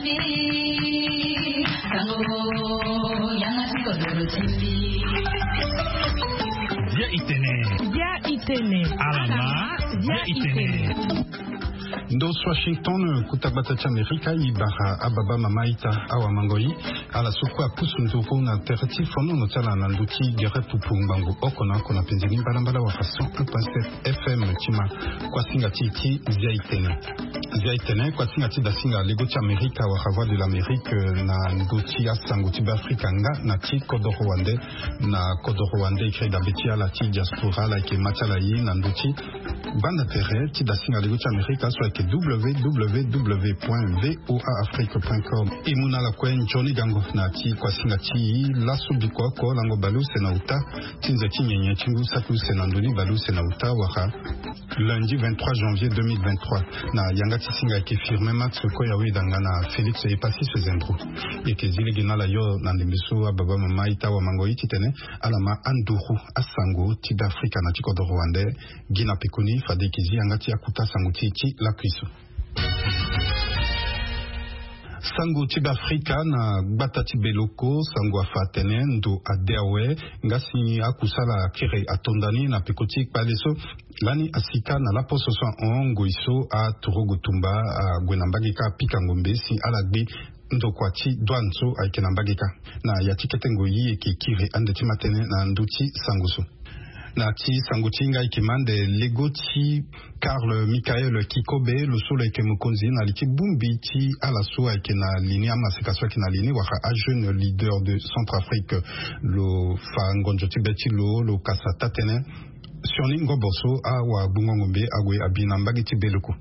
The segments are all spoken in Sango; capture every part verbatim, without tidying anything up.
Bia itene. Bia itene. Alama. Bia itene. Ndo so Washington, kuta gbata ti Amerika, e bara ababa mama ita awamango-i. Ala so kue apusu nduru na tere ti fonono ti ala na ndö ti gere pupu ngbangbo oko na oko na penze ni mbalambala wala cent un point sept F M ti ma. Kuasinga ti e ti Zia itene. Zia itene, kuasinga ti dasinga lego ti Amerika wala Voix de l'Amérique, eh, na ndö ti asango ti Beafrika nga na ti kodoro wande. Na kodoro wande e kiri dabe ti ala ti diaspora, ala yeke ma ti ala ye na ndö ti gbanda tere ti dasinga lego ti Amerika so ayeke W W W point V O A Afrique point com. E mu na ala kue nzoni gango na ya ti kuasinga ti e laso biko oko lango baleuse na uta ti nze ti nyenye ti ngu saki use na ndö ni baleuse na uta wala lundi vingt-trois janvier deux mille vingt-trois. Na yanga ti singa ayeke Firmin Max Koyawe danga na Félix Epassis Zendro. E yeke zi lege na ala yo na ndembe so ababa mama ita awamango-i titene ala ma anduru asango ti Beafrika na ti kodoro wande. Gi na pekoni fade e yeke zi yanga ti akuta sango ti e ti lakui so. Sango ti Beafrika na gbata ti Beloko, sango afa atene ndo ade awe nga si akusala akiri atonda ni na peko ti kpale so. Lani asika na laposo so ahon ngoi so aturugu tumba ague na mbage kâ apika ngombe si ala gbe ndokua ti douane so ayeke na mbage kâ. Na ya ti kete ngoi e yeke kiri ande ti ma tënë na ndö ti sango so. Na ti sango ti hinga e yeke ma ande lego ti Karl Michael Kikobe, lo so lo yeke mokonzi na li ti bongbi ti ala so ayeke na li ni, amaseka so ayeke na li ni wala ajeune leader de Centrafrique. Lo fa ngonzo ti be ti lo, lo kasa taa-tënë sioni ngobo so awagbongo ngombe ague abi na mbage ti Beloko.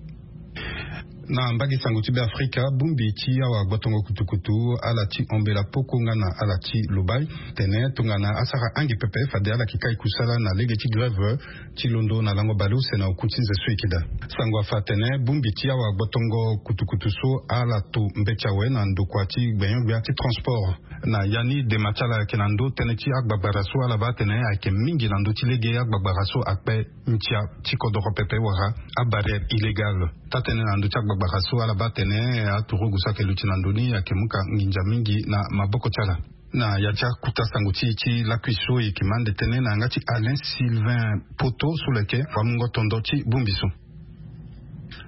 Na mbage sango ti Beafrika, bongbi ti awagbotongo kutukutu, ala ti Ombela Poko nga na ala ti Lobaye, tene tongana asara ange pepe fade ala yeke kai kusala na lege ti grève ti londo na lango baleuse na oku ti nze so e yeke daa. Sango afa atene bongbi ti awagbotongo kutukutu so ala to mbeti awe na ndokua ti gbenyo-gbia ti transport. Na ya ni dema ti ala ayeke na ndö tënë ti agbagbara so ala baa atene ayeke mingi na ndö ti lege agbagbara so akpe ndia ti kodoro pepe wala abarrière illégale. Taa-tënë na ndö ti agbagbara so ala baa atene aturugu so ayeke luti na ndö ni ayeke mu ka nginza mingi na maboko ti ala. Na ya ti akuta sango ti e ti lakui so e yeke ma ande tënë na yanga ti Alain Sylvain Poto so lo yeke wamungo tondo ti bongbi so.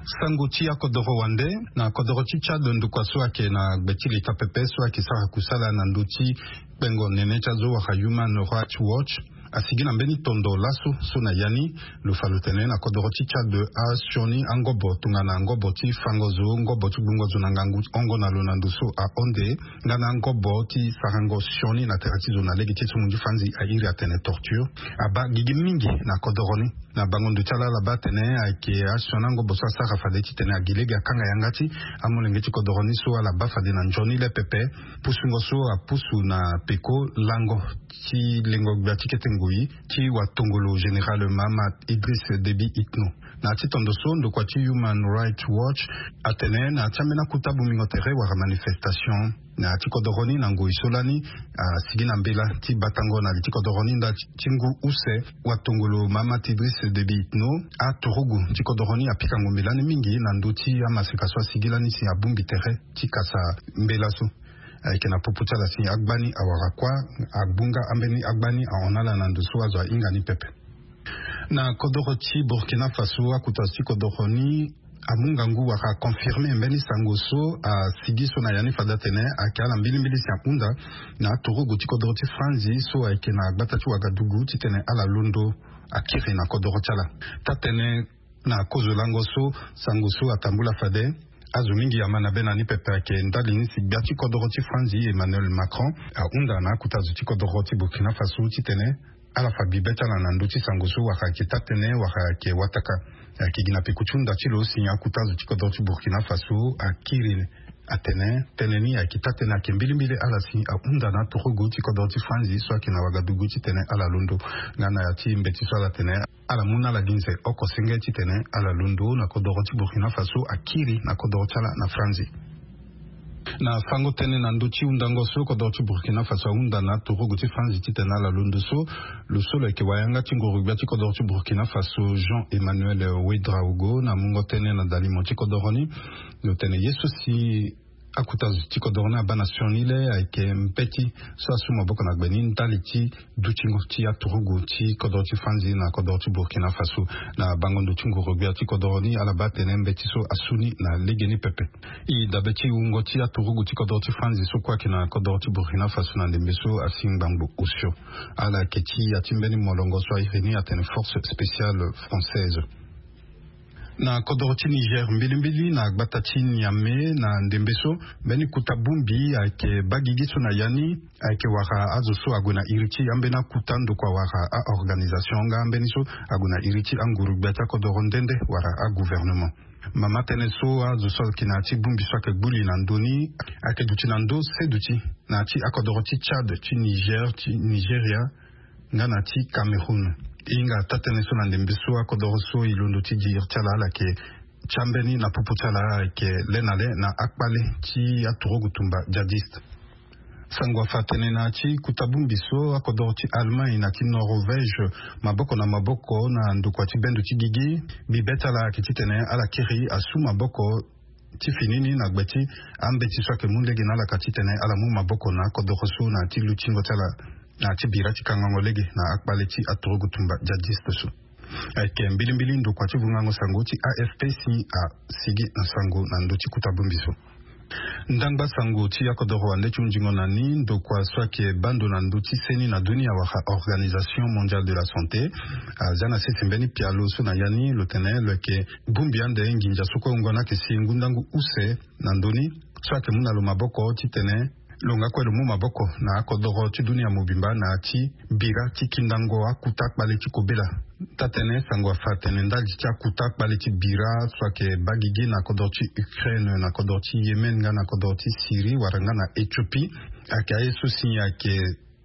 Sango ti akodoro wande, na kodoro ti Tchad ndokua so ayeke na gbe ti leta pepe so ayeke sara kusala na ndö ti kpengo nene ti azo wala Human Rights Watch asigi na mbeni tondo laso so na ya ni lo fa lo tene na kodoro ti Tchad asioni angobo tongana ngobo ti fango zo, ngobo ti gbungo zo na ngangu hongo na lo na ndo so ahon nde nga na angobo ti sarango sioni na tere ti zo na lege ti so munzu fanzi airi atene torture abaa gigi mingi na kodoro ni. Na bango ndo ti ala ala baa atene ayeke asioni angobo so asara fade titene agi lege akanga yanga ti amolenge ti kodoro ni so ala baa fade na nzoni le pepe pusungo so apusu na peko lango ti lengo gbia ti kete ngoi ti watongolo général Mahamat Idriss Déby Itno. Na ya ti tondo so ndokua ti Human Rights Watch atene na ya ti ambeni akuta bongbingo tere wala manifestation na ya ti kodoro ni na ngoi so lani asigi na mbela ti batango na li ti kodoro ni nda ti ngu use watongolo Mahamat Idriss Déby Itno aturugu ti kodoro ni apika ngombe lani mingi na ndö ti amaseka so asigi lani si abongbi tere ti kasa mbela so. Ayeke na popo ti ala si agbani awara kuâ, agbunga ambeni agbani ahon na ala na ndo so azo ahinga ni pepe. Na kodoro ti Burkina Faso, akuta zo ti kodoro ni amu ngangu wala aconfirme mbeni sango so asigi so na ya ni fade atene ayeke ala mbilimbili si ahunda na aturugu ti kodoro ti Franzi so ayeke na gbata ti Wagadugu titene ala londo akiri na kodoro ti ala. Taa-tënë na kozo lango so sango so atambula fade azo mingi ama na be na ni pepe ayeke ndali ni si gbia ti kodoro ti Franzi Emmanuel Macron ahunda na akuta zo ti kodoro ti Burkina Faso titene ala fa bibe ti ala na ndö ti sango so wala ayeke taa-tënë wala ayeke wataka. Ayeke gi na peko ti hunda ti lo si akuta zo ti kodoro ti Burkina Faso akiri atene tënë ni ayeke taa-tënë ayeke mbilimbili ala si ahunda na aturugu ti kodoro ti Franzi so ayeke na Wagadugu titene ala londo nga na ya ti mbeti so ala tene ala mu na ala gi nze oko senge titene ala londo na kodoro ti Burkina Faso akiri na kodoro ti ala na Franzi. Na fango tënë na ndö ti hundango so kodoro ti Burkina Faso ahunda na aturugu ti Franzi titene ala londo so, lo so lo yeke wayanga ti nguru-gbia ti kodoro ti Burkina Faso Jean Emmanuel Ouedraogo na mungo tënë na dalimo ti kodoro ni, lo tene ye so si Akuta zo ti kodoro ni abaa na sioni le ayeke mbeti so asu maboko na gbe ni ndali ti dutingo ti aturugu ti kodoro ti Franzi na kodoro ti Burkina Faso. Na bango ndo ti nguru-gbia ti kodoro ni ala baa atene mbeti so asu ni na legeni pepe. E dabe ti wungo ti aturugu ti kodoro ti Franzi so kue ayeke na kodoro ti Burkina Faso na ndembe so asi ngbangbo osio. Ala yeke ti ya ti mbeni molongo so a iri ni atene Force Spéciale Française. Na kodoro ti Niger mbilimbili na gbata ti Niamey na ndembe so, mbeni kuta bongbi ayeke baa gigi so na ya ni ayeke wara azo so ague na iri ti ambeni akuta ndokua wara a-organisation nga ambeni so ague na iri ti anguru-gbia ti akodoro nde nde wala agouvernement. Mama tënë so azo so ayeke na ya ti bongbi so ayeke gbu li na ndö ni ayeke duti na ndö seduti na ya ti akodoro ti Tchad, ti Niger, ti Nigeria, nga na ti Cameroun. E hinga taa-tënë so na ndembe so akodoro so e londo ti gi iri ti ala ala yeke ti ambeni na popo ti ala ayeke le na le na akpale ti aturugu tumba djihadiste. Sango afa atene na ya ti kuta bongbi so akodoro ti Allemagne na ti Norvège maboko na maboko na ndokua ti bendo ti gigi. Bibe ti ala ayeke titene ala kiri asu maboko ti fini ni na gbe ti ambeti so ayeke mu lege na ala ka titene ala mu maboko na akodoro so na ya ti lutingo ti ala na ya ti bira ti kangango lege na akpale ti aturugu tumba djihadiste so. Ayeke mbilimbili ndokua ti vungango sango ti A F P si asigi na sango na ndö ti kuta bongbi so. Ndangba sango ti akodoro wande ti hunzingo na ni ndokua so ayeke baa ndo na ndö ti seni na dunia wala Organisation Mondiale de la Santé aza na sese mbeni pialo so na ya ni lo tene lo yeke bongbi ande nginza so kue wungo ni ayeke si ngu ndangu use na ndö ni so ayeke mu na lo maboko titene lo nga kue lo mu maboko na akodoro ti dunia mobimba na ya ti bira ti kindango akuta akpale ti kobela. Taa-tënë sango afa atene ndali ti akuta akpale ti bira so ayeke baa gigi na kodoro ti Ukraine, na kodoro ti Yémen nga na kodoro ti Syrie wala nga na Éthiopie, ayeke aye so si ayeke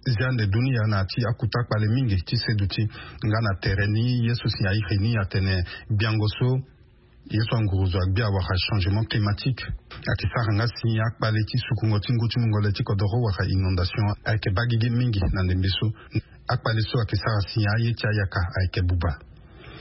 zia ande dunia na ya ti akuta akpale mingi ti seduti. Nga na tere ni ye so si airi ni atene gbiango so ye so anguru zo agbia wala changement climatique ayeke sara nga si akpale ti sukungo ti ngu ti mungo le ti kodoro wala inondation ayeke baa gigi mingi na ndembe so. Akpale so ayeke sara si aye ti ayaka ayeke buba.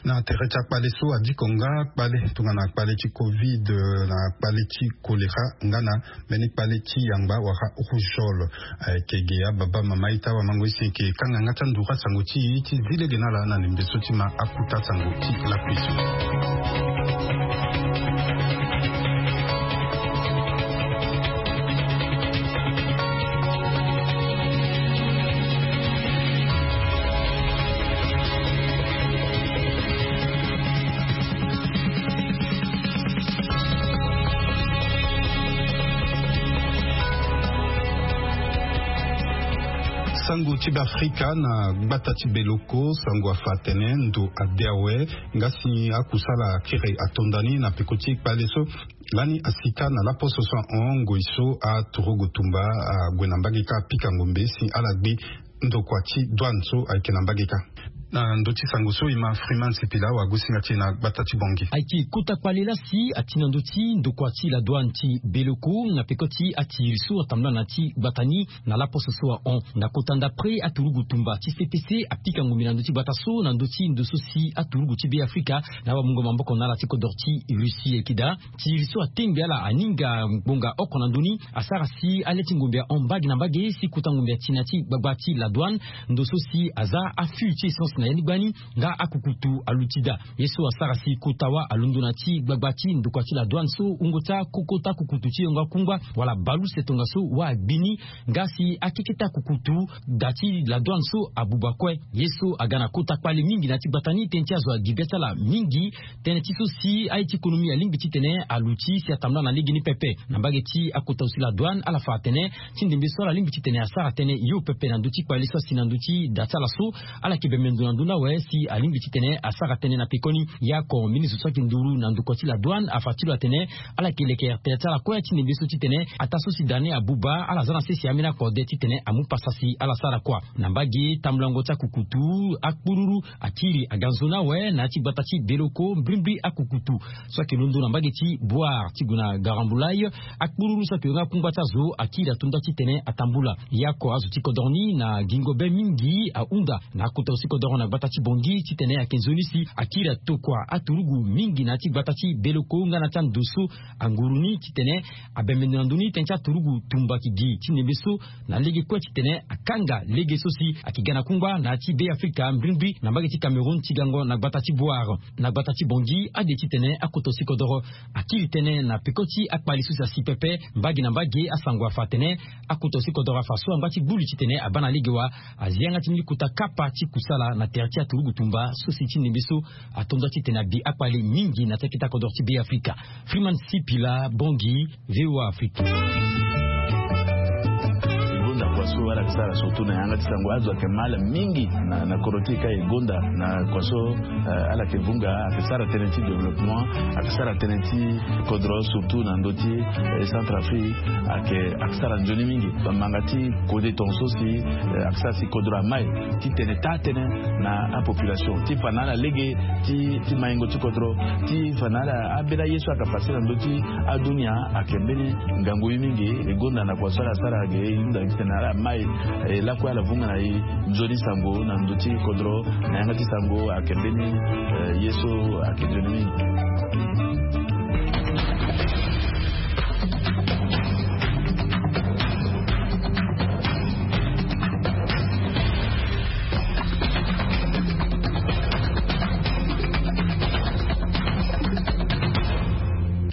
Na tere ti akpale so adiko nga akpale tongana akpale ti covid, na akpale ti choléra nga na mbeni kpale ti yangba wala rougeole. Ayeke ge ababa mama ita wamango isi yeke kanga nga ti anduru asango ti e ti zi lege na ala na ndembe so ti ma akuta sango ti lakui so. Sango ti Beafrika na gbata ti Beloko, sango afa atene ndo ade awe nga si akusala akiri atonda ni na peko ti kpale so lani asika na laposo so ahon ngoi so aturugu tumba ague na mbage kâ apika ngombe si ala gbi ndokua ti douane so ayeke na mbage kâ. Na ndö ti sango so e ma Freeman Sipila wagosinga ti e na gbata ti Bangui. Ayeke kota kpale laa si ati na ndö ti ndokua ti la douane ti Beloko na peko ti atiri so atambula na ya ti gbata ni na laposo so ahon. Na kota ndapre aturugu tumba ti C P C apika ngombe na ndö ti gbata so na ndö ti ndo so si aturugu ti Beafrika na awamungo maboko na ala ti kodoro ti Russie ayeke daa. Tiri so atengbe ala aninga ngbonga oko na ndö ni asara si ale ti ngombe ahon mbage na mbage si kota ngombe ati na ya ti gbagba ti la douane. Ndo so si aza afu ti essence na ya ni gbani nga akukutu aluti daa. Ye so asara si kota wâ alondo na ya ti gbagba ti ndokua ti la douane so wungo ti akokota kukutu ti yongo akungba wala baluse tongaso wâ agbi ni. Nga si akeketa kukutu da ti la douane so abuba kue. Ye so aga na kota kpale mingi na ya ti gbata ni tënë ti azo agi gbia ti ala mingi. Tënë ti so si aye ti konomi alingbi titene aluti si atambula na legeni pepe. Na mbage ti akota zo ti la douane ala fa atene ti ndembe so ala lingbi titene asara tënë yo pepe na ndö ti kpale so asi na ndö ti da ti ala so. Ala yeke bembe ndo na ndö ni awe si alingbi titene asara tënë na pekoni. Yaoko mbeni zo so ayeke nduru na ndokua ti la douane afa ti lo atene ala yeke lekere tere ti ala kue ti ndembe so titene ataa so si da ni abuba ala za na sese ambeni akode titene amu pasa si ala sara kua. Na mbage tambulango ti akukutu akpururu akiri aga nzoni awe na ya ti gbata ti Beloko mbrimbri akukutu so ayeke londo na mbage ti Bouar ti gue na Garambulay. Akpururu so ayeke yonga akungba ti azo akiri ato nda titene atambula. Yaoko azo ti kodro ni na gingo be mingi ahunda na akota zo ti kodro. Na gbata ti Bongi titene ayeke nzoni si akiri atokua aturugu mingi na ya ti gbata ti Beloko nga na ya ti ando so anguru ni titene abembe ndo na ndö ni tënë ti aturugu tumba ki gi ti ndembe so na lege kue titene akanga lege so si ayeke ga na kungba na ya ti Be Afrika mbrimbri na mbage ti Cameroun ti gango na gbata ti Bouar. Na gbata ti Bongi ade titene akoto si kodoro akiri tënë na peko ti akpali so si asi pepe mbage na mbage asango afa atene akoto si kodoro afa so angba ti gbu li titene abaa na lege wa azi yanga ti mbeni kota kapa ti kusala na tere ti aturugu tumba so si ti ndembe so ato nda titene abi akpali mingi na ti akita kodoro ti Be Afrika. Freeman Sipila, Bongi, VOA Afrique. Gonda kua so ala yeke sara surtout na yanga ti sango azo ayeke mal mingi na, na kodro ti e ka e gonda na kua so, eh, ala yeke vunga ayeke sara tënë ti développement, ayeke sara tënë ti kodro surtout na ndö ti, eh, Centrafrique ayeke, ayeke sara nzoni mingi. Bamanga ti kode tongaso si, eh, ayeke sara si kodro amai titene taa tënë na apopulation ti fa na ala lege ti, ti maingo ti kodro ti fa na ala abela ye so ayeke pase na ndö ti adunia ayeke mbeni ngangu ye mingi. E gonda na kua so ala sara ayeke e hunda titene ala mai, eh, lakue ala vunga na e nzoni sango na ndö ti kodro na yanga ti sango ayeke mbeni, eh, ye so ayeke nzoni mingi.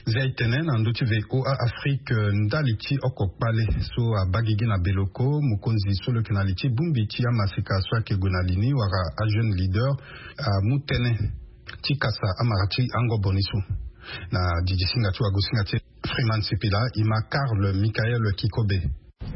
Zia e tene na ndö ti VOA Afrique, eh, ndali ti oko kpale so abaa gigi na Beloko, mokonzi so lo yeke na li ti bongbi ti amaseka so ayeke gue na li ni wala ajeune leader, amu tënë ti kasa amara ti angobo ni so. Na didi singa ti wagosinga ti Freeman Sipila, e ma Karl Michael Kikobe.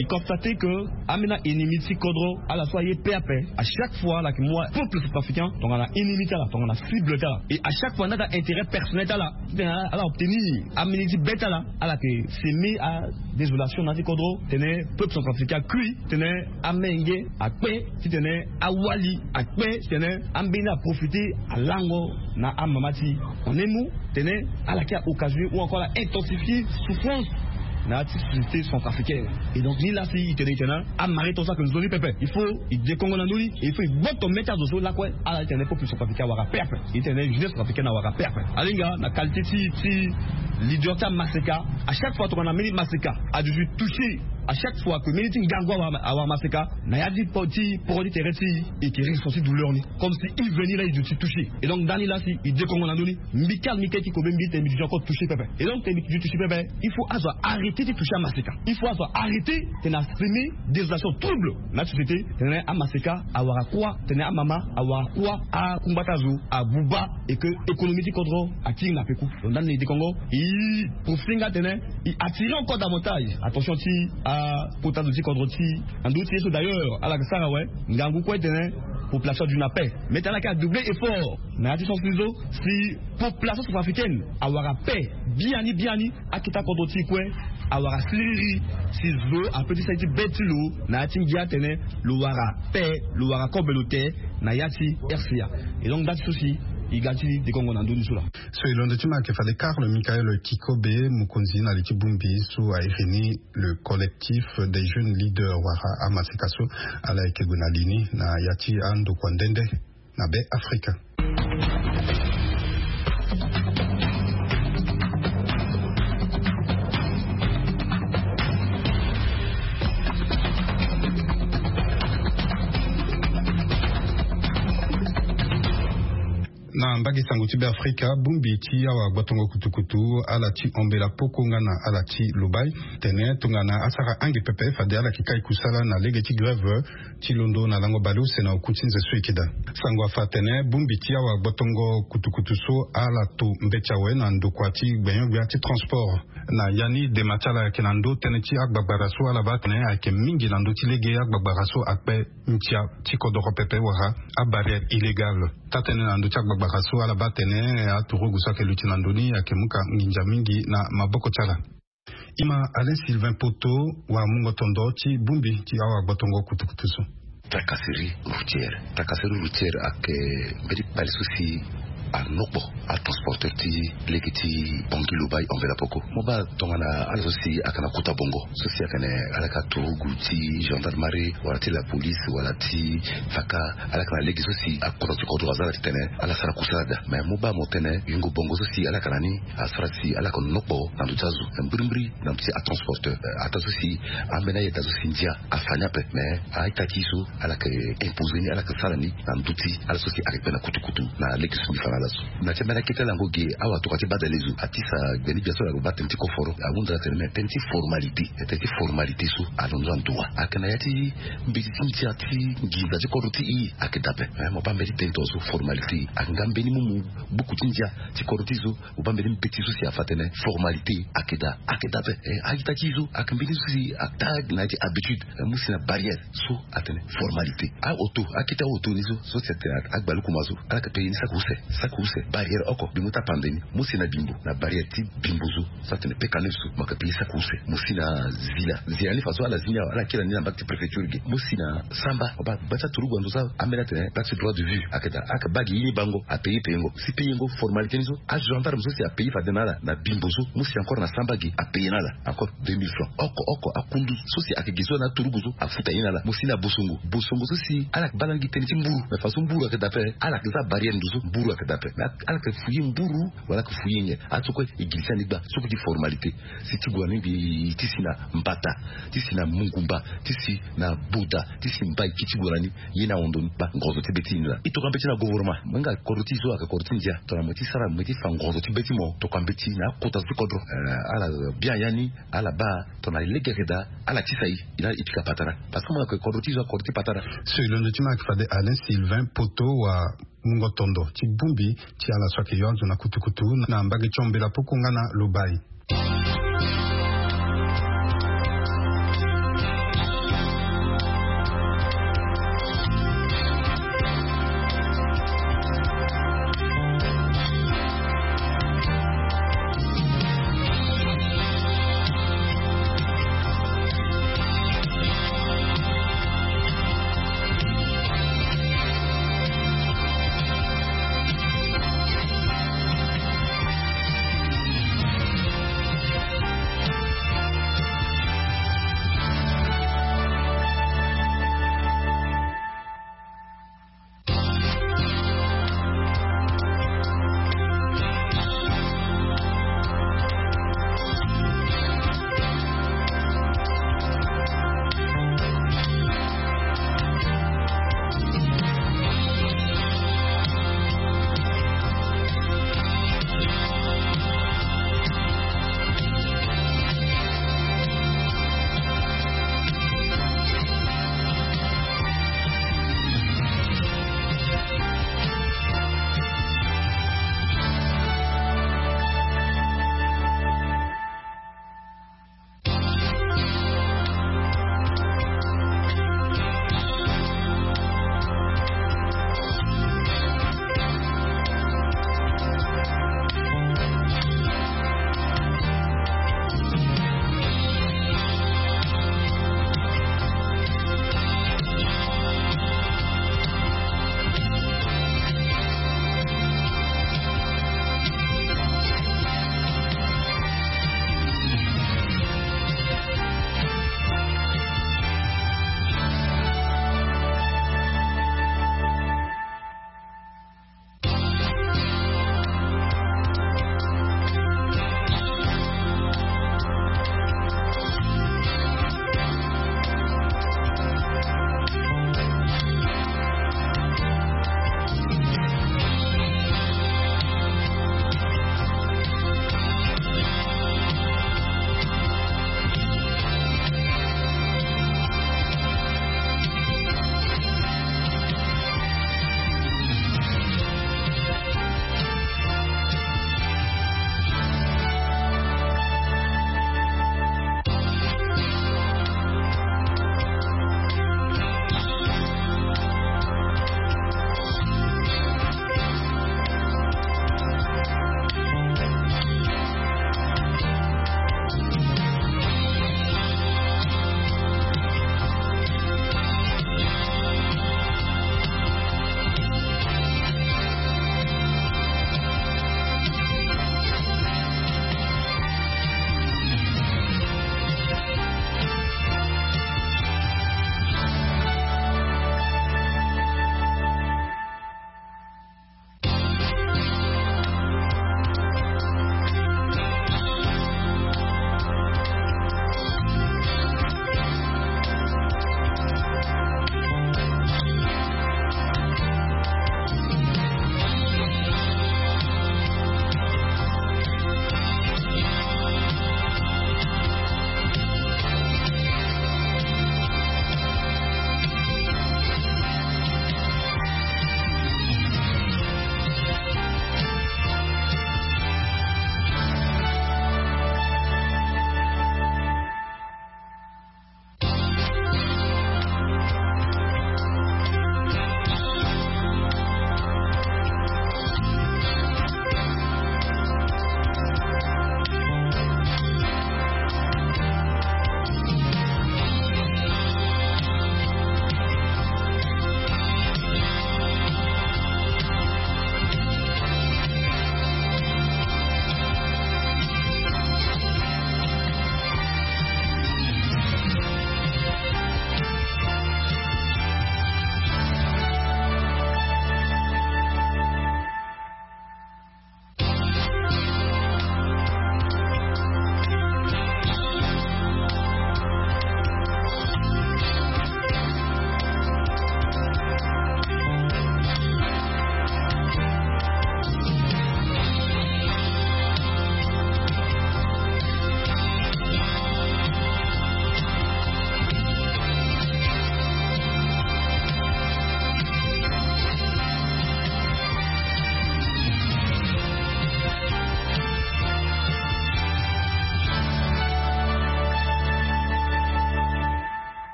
E constate que ambeni aennemi ti kodro ala so aye pe ape, à chaque fois ala yeke mu apeuple centrafricain tongana ennemi ti ala, tongana cible ti ala. Et à chaque fois nda ti aintérêt personnel ti ala titene ala obtenir ambeni ti be ti ala, ala yeke semer adésolation na ya ti kodro titene peuple centrafricain akui, titene amenge akpe, titene awali akpe, titene ambeni aprofite alango na amama ti e. En un mot, titene ala yeke aoccasion ou encore ala intensifier souffrance na ya ti société centrafricaine. Et donc ni laa si e tene e tene amara e tongaso ayeke nzoni pepe. Il faut e dekongo na ndö ni, et il faut e gboto mê ti azo so lakue ala titene peuple centrafricain awara pe ape, e titene jeunesse centrafricaine awara pe ape. Alinga na qualité ti, ti leader ti amaseka, à chaque fois tongana mbeni maseka aduti touché, à chaque fois que mbeni ti ngangu awara, awara maseka na ya ti po, ti poro ti tere ti e, e yeke ressenti douleur ni comme si e veni laa e duti touché. Et donc ndani laa si e dekongo na ndö ni, mbi Karl Michael Kikobe mbi tene mbi duti encore touché pepe. Et donc tene mbi duti touché pepe, il faut azo arrêter ti touché amaseka. Il faut azo arrêter titene asemer désolation, trouble na société, titene amaseka awara kuâ, titene amama awara kuâ, akungba ti azo abuba, et que économie ti kodro akiri na peku. Donc ndani na e dekongo, e profiter nga titene e attirer encore davantage attention ti akota zo ti kodro ti e na ndö ti ye so. D'ailleurs ala yeke sara awe, ngangu kue titene population aduti na paix. Mais titene ala yeke adoubler effort na ya ti sens ni so, si population centrafricaine awara paix biani biani, akita kodro ti e kue awara siriri, si zo ape ti sara ye ti be ti lo na ya ti ngia titene lo wara paix, lo wara kobe lo te na ya ti RCA. Et donc nda ti so si e ga ti dekongo na ndö ni so laa. So e londo ti ma ayeke fade Karl Michael Kikobe, mokonzi na li ti bongbi so airi ni le collectif des jeunes leaders wala amaseka so ala yeke gue na li ni na ya ti andokua nde nde na Be Afrika. Na mbage sango ti Be Afrika, bongbi ti awa gbotongo kutukutu, ala ti Ombela Poko nga na ala ti Lobai, tene tongana asara ange pepe fade ala yeke kai kusala na lege ti grève ti londo na lango baleuse na oku ti nze so e yeke daa. Sango afa atene bongbi ti awa gbotongo kutukutu so ala to mbeti awe na ndokua ti gbenyo-gbia ti transport. Na ya ni dema ti ala ayeke na ndö tënë ti agbagbara so ala baa atene ayeke mingi na ndö ti lege agbagbara so akpe ndia ti kodoro pepe wala abarrière illégale. Taa-tënë na ndö ti agbagbara so ala baa atene aturugu so ayeke luti na ndö ni ayeke mu ka nginza mingi na maboko ti ala. E ma Alain Sylvain Poto, wamungo tondo ti bongbi ti awa gbotongo kutukutu so. Tracasserie routière. Tracasserie routière ayeke mbeni kpale so si Anokpo atransporteur ti lege ti bangi lobai enveloppe oko mo baa tongana ala so si ayeke na kota bongo so si ayeke na ala yeke aturugu ti gendarmerie wala ti la police wala ti faka, ala yeke na lege so si akota ti kodro aza ala titene ala sara kusala daa. Mais mo baa mo tene yungo bongo so si ala yeke na ni asara si ala yeke nokpo na ndo ti azo. Mbirimbiri na ndo ti atransporteur, ataa so si ambeni ayeda so si ndia afa ni ape. Mais a-ita ti e so ala yeke impose ni, ala yeke sara ni na ndo ti ala so si ayeke kpe na kutukutu na lege so mbi fa na ala so. Na ti ambeni akete ala yango ge awa tokua ti badale zo atisa gbeni gbia so ala yeke baa tënë ti koforo ahunda ala tene me tënë ti formalité. Tënë ti formalité so alondo na ndo wa ayeke na ya ti mbeti ti ndia ti nginza ti kodro ti e ayeke daa ape. Mo baa mbeni tënë ti so formalité ayeke nga mbeni mumu buku ti ndia ti kodro ti e so. Mo baa mbeni mbeti so si afa tene formalité ayeke daa, ayeke daa ape. A-ita ti e so ayeke mbeni so si ataa na ya ti habitude. Mu si na barrière so atene formalité. A-auto, akete a-auto ni so so si atene agba lukuma so ala yeke paye ni saki use, saki use. Barrière oko bimbo ti apande ni. Mu si na bimbo, na barrière ti bimbo so so atene peka neuf so mo yeke paye saki use. Mo si na zila, zila ni fa so ala zi ni awe ala kiri na ni na mbage ti préfecture ge. Mo si na samba, mo baa gba ti aturugu na ndo so ambeni atene mbage ti droit de vue ayeke daa, ayeke baa ge ye ni bango apaye payengo. Si payengo formalité ni so agendarme so si apaye fade na ala na bimbo so, mo si encore na samba ge apaye na ala encore deux mille francs. Oko oko akundu so si ayeke ge so na aturugu so afuta ye na ala. Mo si na bosongo, bosongo so si ala yeke baa lani gi tënë ti mburu. Mais façon mburu ayeke daa ape, ala yeke za barrière ndo so mburu ayeke daa ape. Mais ala yeke fuye mburu wala ayeke fuye nyen? Aso kue e girisa ni gba so kue ti formalité. Si ti gue na ni mbi ti si na mbata, ti si na mungumba, ti si na boda, ti si mbai ki ti gue na ni. Ye ni ahon ndo ni baa ngonzo ti be ti e ni laa. E tokua mbeti na gouvernement mo hinga kodro ti e so ayeke kodro ti ndia tongana mo ye ti sara mo ye ti fa ngonzo ti be ti mo tokua mbeti na akota so ti kodro. Ala bien ya ni. Ala baa tongana lege ayeke daa ala tisa e. E na ala e pika patara. Parce que mo yeke kodro ti e so ayeke kodro ti patara. So e londo ti mo ayeke fade Alain Sylvain Poto wa mungo tondo ti bongbi ti ala so ayeke yo azo na kutukutu na mbage ti Ambela Poko nga na Lobai.